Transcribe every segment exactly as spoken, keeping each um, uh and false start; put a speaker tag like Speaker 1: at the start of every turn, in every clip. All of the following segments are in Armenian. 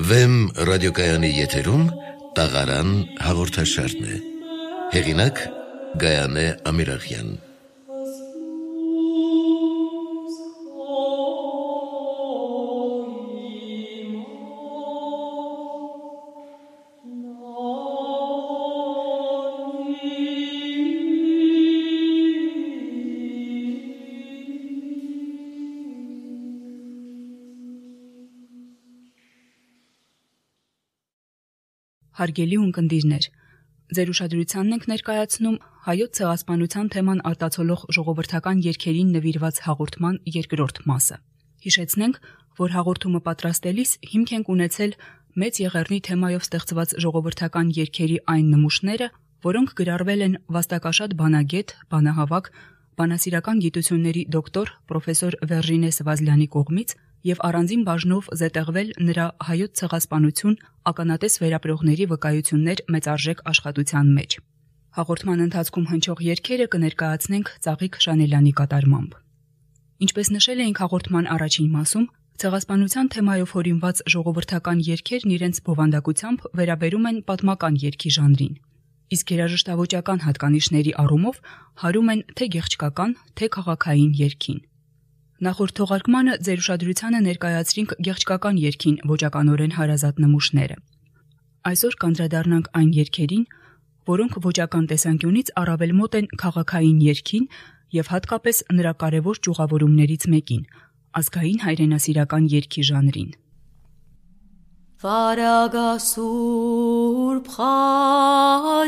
Speaker 1: Վեմ ռադիոկայանի եթերում տաղարան հաղորդաշարն է։ Հեղինակ Գայանե Ամիրախյան։
Speaker 2: Հարգելի ունկնդիրներ, ձեր ուշադրությանն ենք ներկայացնում հայոց ցեղասպանության թեման արտացոլող ժողովրդական երգերին նվիրված հաղորդման երկրորդ մասը։ Հիշեցնենք, որ հաղորդումը պատրաստելիս հիմք ենք ունեցել Մեծ Եղեռնի թեմայով ստեղծված ժողովրդական երգերի այն նմուշները, որոնք գրառվել են վաստակաշատ բանագետ, բանահավաք, բանասիրական գիտությունների դոկտոր պրոֆեսոր Վերժինե Սվազլյանի կողմից և առանձին բաժնով զետեղվել նրա հայոց ցեղասպանություն ականատես վերապրողների վկայություններ մեծարժեք աշխատության մեջ։ Հաղորդման ընթացքում հնչող երգերը կներկայացնենք Ծաղիկ Շանելյանի կատարմամբ։ Ինչպես նշել էինք հաղորդման առաջին մասում, ցեղասպանության թեմայով հորինված ժողովրդական երգերն իրենց բովանդակությամբ վերաբերում են պատմական երգի ժանրին, իսկ երաժշտավոճական հատկանիշների առումով հարում են թե գեղչկական, թե քաղաքային երգին։ Նախորդ թողարկմանը ձեր ուշադրությանը ներկայացրինք գեղչկական երգին ոճականորեն հարազատ նմուշները։ Այսօր կանդրադառնանք այն երգերին, որոնք ոճական տեսանկյունից առավել մոտ են քաղաքային երգին եւ հատկապես նրա կարևոր ճյուղավորումներից մեկին՝ ազգային հայրենասիրական երգի ժանրին։
Speaker 3: Վարագասուրբ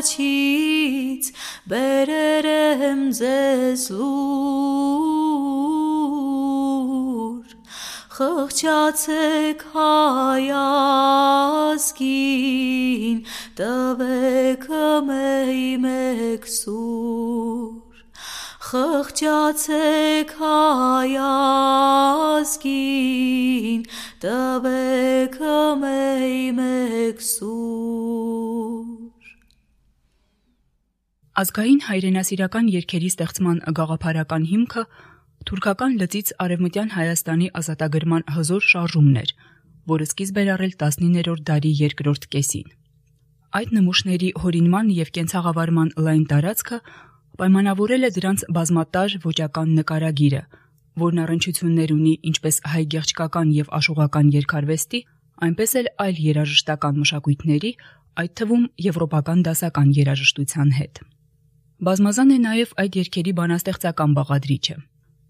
Speaker 3: խաչից բերերեմ ձեզ լուր, խղճացեք հայ ազգին, տվեք մեյ մեկ սուր, խղճացեք հայ ազգին, տվեք մեյ մեկ սուր։
Speaker 2: Ազգային հայրենասիրական երգերի ստեղծման գաղափարական հիմքը թուրքական լծից Արևմտյան Հայաստանի ազատագրման հզոր շարժումն էր, որը սկիզբ էր առել տասնիններորդ դարի երկրորդ կեսին։ Այդ նմուշների հորինման և կենցաղավարման լայն տարածքը պայմանավորել է դրանց բազմատար ոճական նկարագիրը, որն առնչություններ ունի ինչպես հայ գեղչկական և աշուղական երգարվեստի, այնպես էլ այլ երաժշտական մշակույթների, այդ թվում եվրոպական դասական երաժշտության հետ։ Բազմազան է նաև այդ երգերի բանաստեղծական բաղադրիչը։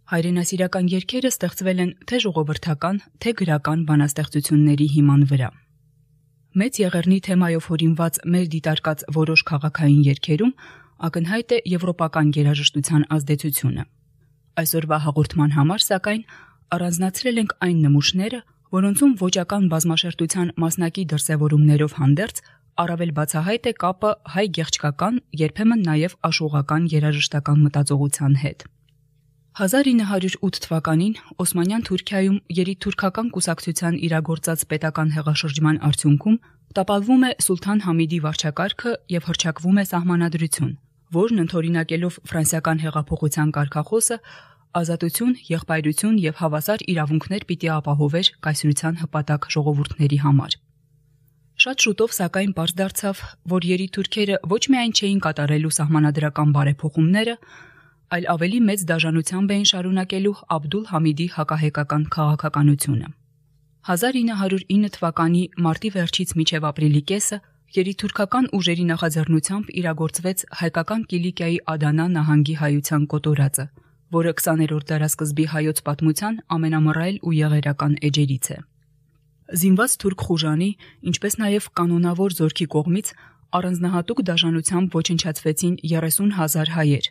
Speaker 2: Հայրենասիրական երգերը ստեղծվել են թե ժողովրդական, թե գրական բանաստեղծությունների հիման վրա։ Մեծ Եղեռնի թեմայով հորինված մեր դիտարկած որոշ քաղաքային երգերում ակնհայտ է եվրոպական երաժշտության ազդեցությունը։ Այսօրվա հաղորդման համար, սակայն, առանձնացրել ենք այն նմուշները, որոնցում ոճական բազմաշերտության մասնակի դրսևորումներով հանդերձ առավել բացահայտ է կապը հայ գեղչկական, երբեմն նաև աշուղական երաժշտական մտածողության հետ։ հազար ինը հարյուր ութ թվականին Օսմանյան Թուրքիայում երիտթուրքական կուսակցության իրագործած պետական հեղաշրջման արդյունքում տապալվում է Սուլթան Համիդի վարչակարգը և հռչակվում է սահմանադրություն, որն ընդօրինակելով ֆրանսիական հեղափոխության կարգախոսը ազատություն, եղբայրություն և հավասար իրավունքներ պիտի ապահովեր կայսրության հպատակ ժողովուրդների համար։ Շատ շուտով սակայն պարզ դարձավ, որ երիտթուրքերը ոչ միայն չէին կատարելու սահմանադրական բարեփոխումները, այլ ավելի մեծ դաժանությամբ էին շարունակելու Աբդուլ Համիդի հակահայկական քաղաքականությունը։ հազար ինը հարյուր ինը թվականի մարտի վերջից մինչև ապրիլի կեսը երիտթուրքական ուժերի նախաձեռնությամբ իրագործվեց հայկական Կիլիկիայի Ադանա նահանգի հայության կոտորածը, որը քսաներորդ դարասկզբի հայոց պատմության ամենամռայլ ու եղերական էջերից է։ Զինված թուրք խուժանի, ինչպես նաև կանոնավոր զորքի կողմից առանձնահատուկ դաժանությամբ ոչնչացվեցին երեսուն հազար հայեր,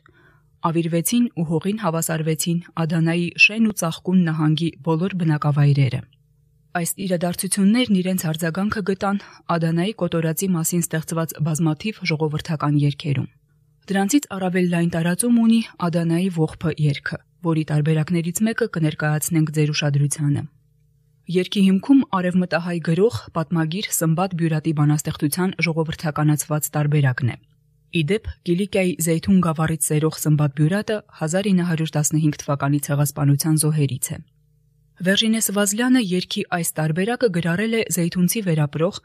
Speaker 2: ավիրվեցին ու հողին հավասարվեցին Ադանայի Շեն ու Ծաղկուն նահանգի բոլոր բնակավայրերը։ Այս իրադարձություններն իրենց արձագանքը գտան Ադանայի կոտորածի մասին ստեղծված բազմաթիվ ժողովրդական երգերում։ Դրանցից առավել լայն տարածում ունի Ադանայի ողբը երգը, որի տարբերակներից մեկը կներկայացնենք ձեր ուշադրությանը։ Երգի հիմքում արևմտահայ գրող, պատմագիր Սմբատ Բյուրատի բանաստեղծության ժողովրդականացված տարբերակն է։ Իդեպ Կիլիկիայի Զեյթուն գավառից սերող Սմբատ Բյուրատը հազար ինը հարյուր տասնհինգ թվականի ցեղասպանության զոհերից է։ Վերժինե Սվազլյանը երգի այս տարբերակը գրառել է զեյթունցի վերապրող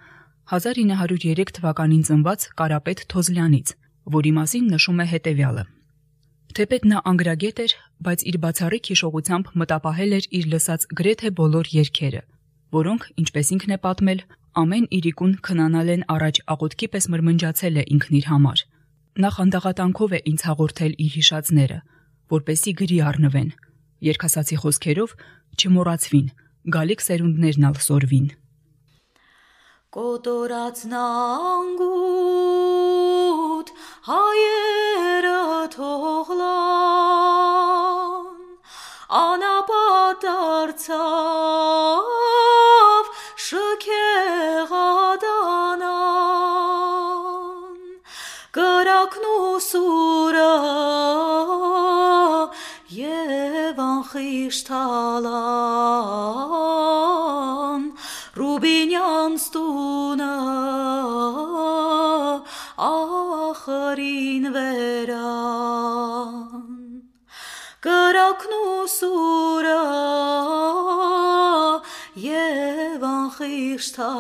Speaker 2: հազար ինը հարյուր երեք թվականին ծնված Կարապետ Թոզլյանից, որի մասին նշում է հետևյալը. Թեպետ նա անգրագետ էր, բայց իր բացառիկ հիշողությամբ մտապահել էր իր լսած գրեթե բոլոր երգերը, որոնք, ինչպես ինքն է պատմել, ամեն իրիկուն քնանալ են առաջ աղոթքի պես մրմնջացել է ինքն իր համար։ Նա խանդաղատանքով է ինձ հաղորդել իր հիշածները, որպեսի գրի առնվեն, երգասացի խոսքերով չմոռացվին, գալիք սերունդներն ալ սորվին։
Speaker 3: Կոտորածն անգութ հայերը թողլան, անապատ դարձավ շքեղադանան, կրակն ու սուրը և անխիշտալան, Ռուբինյան ստունը ախրին վերան, կրակն ու սուրը և անխիշտալան,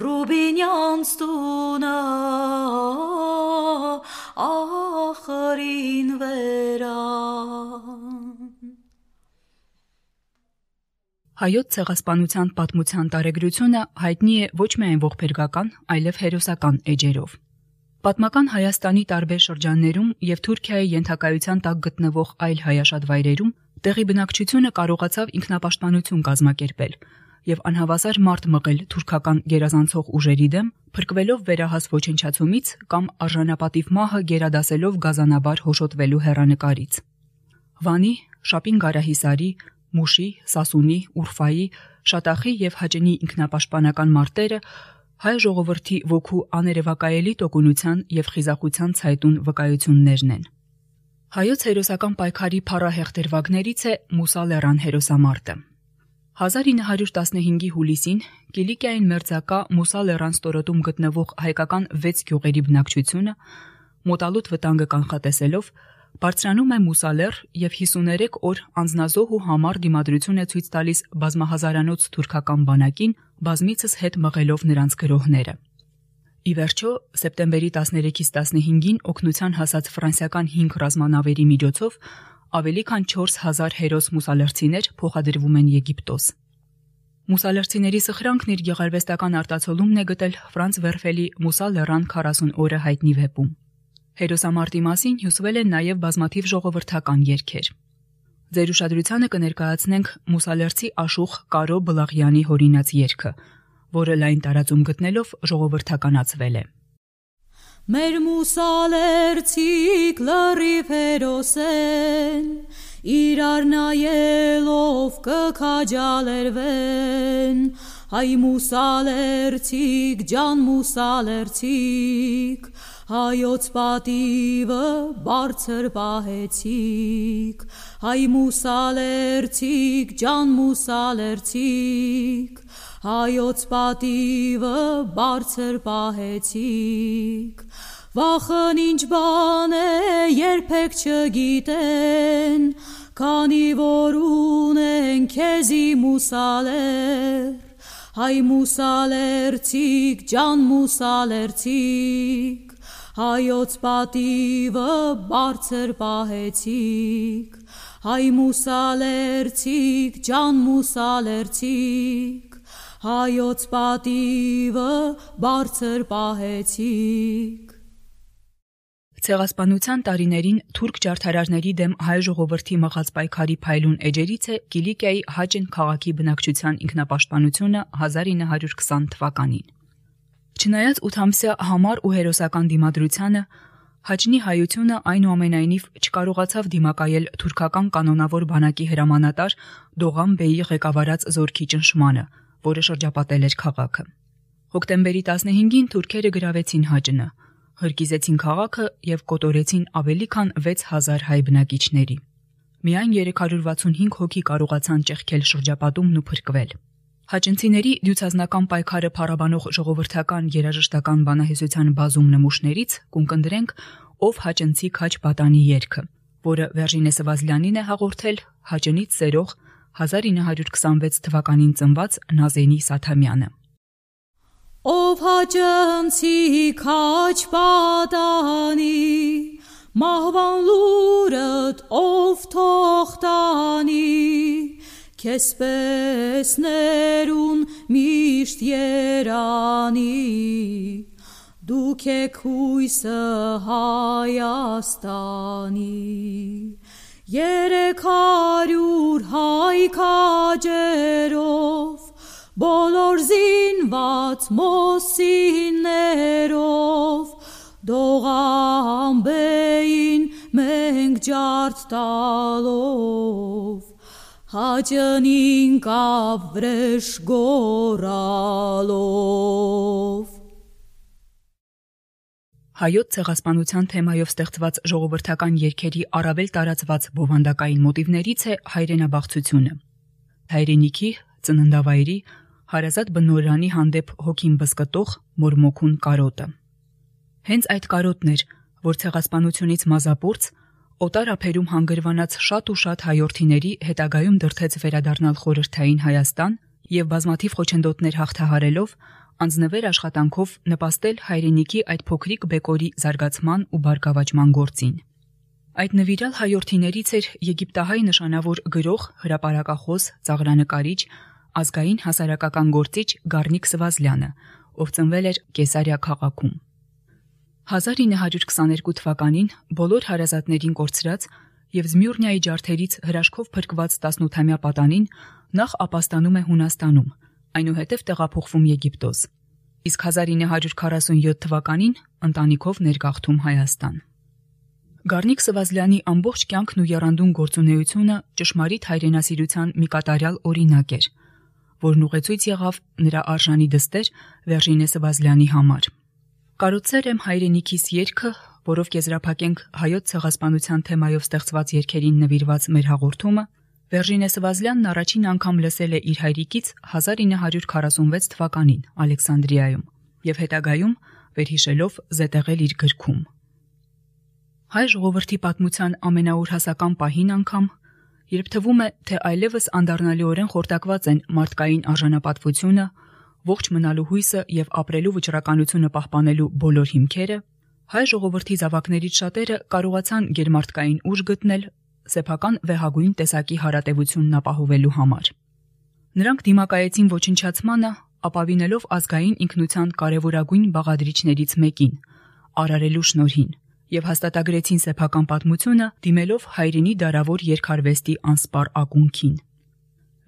Speaker 3: Ռուբինյան ստունը ախրին վերան։
Speaker 2: Հայոց ցեղասպանության պատմության տարեգրությունը հայտնի է ոչ միայն ողբերգական, այլև հերոսական էջերով։ Պատմական Հայաստանի տարբեր շրջաններում եւ Թուրքիայի ենթակայության տակ գտնվող այլ հայաշատ վայրերում տեղի բնակչությունը կարողացավ ինքնապաշտպանություն կազմակերպել եւ անհավասար մարդ մղել թուրքական գերազանցող ուժերի դեմ, փրկվելով վերահաս ոչնչացումից կամ արժանապատիվ մահը գերադասելով գազանաբար հոշոտվելու հեռանկարից։ Վանի, Շապին Գարահիսարի, Մուշի, Սասունի, Ուրֆայի, Շատախի եւ Հաճնի ինքնապաշտպանական մարտերը հայ ժողովրդի ոգու աներևակայելի տոկունության եւ խիզախության ցայտուն վկայություններն են։ Հայոց հերոսական պայքարի փառահեղ դերվագներից է Մուսա Լեռան հերոսամարտը։ հազար ինը հարյուր տասնհինգի հուլիսին Կիլիկիային մերձակա Մուսա Լեռան ստորոտում գտնվող հայկական վեց գյուղերի բնակչությունը մոտալուտ վտանգը կանխատեսելով բարձրանում է Մուսա Լեռ եւ հիսուներեք օր անձնազոհ ու համառ դիմադրություն է ցույց տալիս բազմահազարանոց թուրքական բանակին, բազմիցս հետ մղելով նրանց գրոհները։ Ի վերջո, սեպտեմբերի տասներեքից տասնհինգին օգնության հասած ֆրանսիական հինգ ռազմանավերի միջոցով ավելի քան չորս հազար հերոս մուսալերցիներ փոխադրվում են Եգիպտոս։ Մուսալերցիների սխրանքն իր գեղարվեստական արտացոլումն է գտել Ֆրանց Վերֆելի Մուսա Լեռան քառասուն օրը հայտնի վեպում։ Հերոսամարտի մասին հյուսվել են նաև բազմաթիվ ժողովրդական երգեր։ Ձեր ուշադրությանը կներկայացնենք Մուսալերցի աշուխ Կարո Բլաղյանի հորինած երգը, որը լայն տարածում գտնելով ժողովրդականացվել է։
Speaker 3: Մեր մուսալերցիկ լրիվ հերոսեն, իրար նայելով կքաջալերվեն, հայ մուսալերցիկ, ջան մուսալերցիկ, հայոց պատիվը բարձր պահեցիք, հայ մուսալերցիկ, ջան մուսալերցիկ, հայոց պատիվը բարձր պահեցիք, վախն ինչ բան է երբեք չգիտեն, քանի որ ունեն քեզի մուսալեր, հայ մուսալերցիկ, ջան մուսալերցիկ, հայոց պատիվը բարձր պահեցիք, հայ մուսալերցիկ, ջան մուսալերցիկ, հայոց պատիվը բարձր պահեցիք։
Speaker 2: Ցեղասպանության տարիներին թուրք ջարդարարների դեմ հայ ժողովրդի մղած պայքարի փայլուն էջերից է Կիլիկիայի Հաճն քաղաքի բնակչության ինքնապաշտպանությունը հազար ինը հարյուր քսան թվականին։ Չնայած ութամսյա համառ ու հերոսական դիմադրությանը, Հաճնի հայությունը այնուամենայնիվ չկարողացավ դիմակայել թուրքական կանոնավոր բանակի հրամանատար Դողան Բեյի ղեկավարած զորքի ճնշմանը, որը շրջապատել էր քաղաքը։ Հոկտեմբերի տասնհինգին թուրքերը գրավեցին Հաճնը, հրկիզեցին քաղաքը եւ կոտորեցին ավելի քան վեց հազար հայ բնակիչների։ Միայն երեք հարյուր վաթսունհինգ հոգի կարողացան ճեղքել շրջապատումն ու փրկվել։ Հաճնցիների դյուցազնական պայքարը փառաբանող ժողովրդական երաժշտական բանահյուսության բազում նմուշներից կունկնդրենք «Ով հաճնցի քաջ պատանի» երգը, որը Վերժինե Սվազլյանին է հաղորդել Հաճնից սերող հազար ինը հարյուր քսանվեց թվականին ծնված Նազենի Սաթամյանը։
Speaker 3: Ով հաճնցի քաչ պատանի, մահվան լուրդ ով թող տանի, քեզպես ներուն միշտ երանի, դուք եք հույսը Հայաստանի, երեք հարյուր հայ քաջերով, բոլոր զինված մոսիներով, դողամբեին մենք ջարդ տալով, Հաճնին կավ վրեժ գորալով։
Speaker 2: Հայոց ցեղասպանության թեմայով ստեղծված ժողովրդական երգերի առավել տարածված բովանդակային մոտիվներից է հայրենաբաղցությունը։ Հայրենիքի, ծննդավայրի, հարազատ բնորանի հանդեպ հոգին բզկտող մորմոքուն կարոտը։ Հենց այդ կարոտն էր, որ ցեղասպանությունից մազապուրծ, օտար ափերում հանգրվանած շատ ու շատ հայորդիների հետագայում դրդեց վերադառնալ խորհրդային Հայաստան եւ բազմաթիվ խոչընդոտներ հաղթահարելով անձնվեր աշխատանքով նպաստել հայրենիքի այդ փոքրիկ բեկորի զարգացման ու բարգավաճման գործին։ Այդ նվիրալ հայորդիներից էր եգիպտահայ նշանավոր գրող, հրապարակախոս, ծաղրանկարիչ, ազգային հասարակական գործիչ Գառնիկ Սվազլյանը, ով ծնվել էր Կեսարիա քաղաքում։ հազար ինը հարյուր քսաներկու թվականին բոլոր հարազատներին կորցրած եւ Զմյուռնիայի ջարդերից հրաշքով փրկված տասնութամյա պատանին նախ ապաստանում է Հունաստանում, այնուհետև տեղափոխվում Եգիպտոս, իսկ հազար ինը հարյուր քառասունյոթ թվականին ընտանիքով ներգաղթում Հայաստան։ Գառնիկ Սվազլյանի ամբողջ կյանքն ու եռանդուն գործունեությունը ճշմարիտ հայրենասիրության մի կատարյալ օրինակ էր, որն ուղեցույց եղավ նրա արժանի դստեր Վերժինե Սվազլյանի համար։ Կարոտսեր եմ հայրենիքիս երգը, որով կեզրափակենք հայոց ցեղասպանության թեմայով ստեղծված երգերին նվիրված մեր հաղորդումը, Վերժինե Սվազլյանն առաջին անգամ լսել է իր հայրիկից հազար ինը հարյուր քառասունվեց թվականին Ալեքսանդրիայում եւ հետագայում վերհիշելով զետեղել իր գրքում։ Հայ ժողովրդի պատմության ամենաուրհասական պահին անգամ, երբ թվում է, թե այլևս անդառնալիորեն խորտակված են մարդկային արժանապատվությունը, ողջ մնալու հույսը եւ ապրելու վճռականությունը պահպանելու բոլոր հիմքերը, հայ ժողովրդի զավակներից շատերը կարողացան գերմարտկային ուժ գտնել սեփական վեհագույն տեսակի հարատևությունն ապահովելու համար։ Նրանք դիմակայեցին ոչնչացմանը, ապավինելով ազգային ինքնության կարևորագույն բաղադրիչներից մեկին՝ արարելու շնորհին, եւ հաստատագրեցին սեփական պատմությունը դիմելով հայրենի դարավոր երկարվեստի անսպառ ակունքին։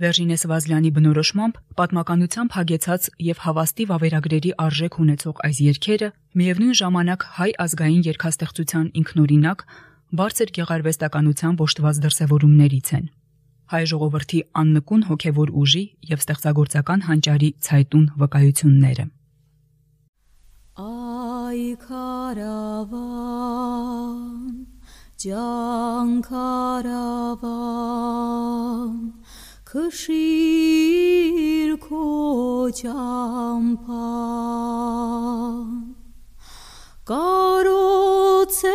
Speaker 2: Վերժինե Սվազլյանի բնորոշմամբ պատմականությամբ հագեցած եւ հավաստի վավերագրերի արժեք ունեցող այս երգերը միևնույն ժամանակ հայ ազգային երգաստեղծության ինքնօրինակ բարձր գեղարվեստականության ոշտված դրսևորումներից են։ Հայ ժողովրդի աննկուն հոգևոր ուժի եւ ստեղծագործական հանճարի ցայտուն վկայությունները։
Speaker 3: Այ քարավան, ջանքարավան, քշիր քո ճամփան, կարոցեր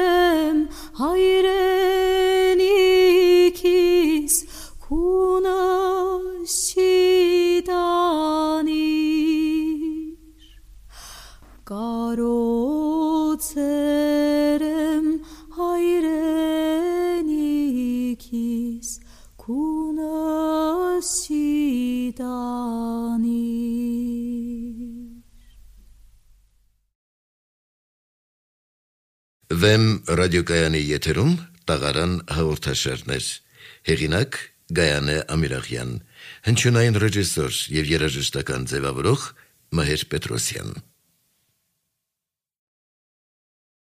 Speaker 3: եմ հայրենիքիս քունս չի տանիր, կարոցեր եմ հայրենիքիս քունս չի տանիր։
Speaker 1: Վեմ ռադիոկայանի եթերում տաղարան հաղորդաշարներ, հեղինակ Գայանե Ամիրախյան, հնչյունային ռեժիսոր եւ երաժշտական ձևավորող Մհեր Պետրոսյան։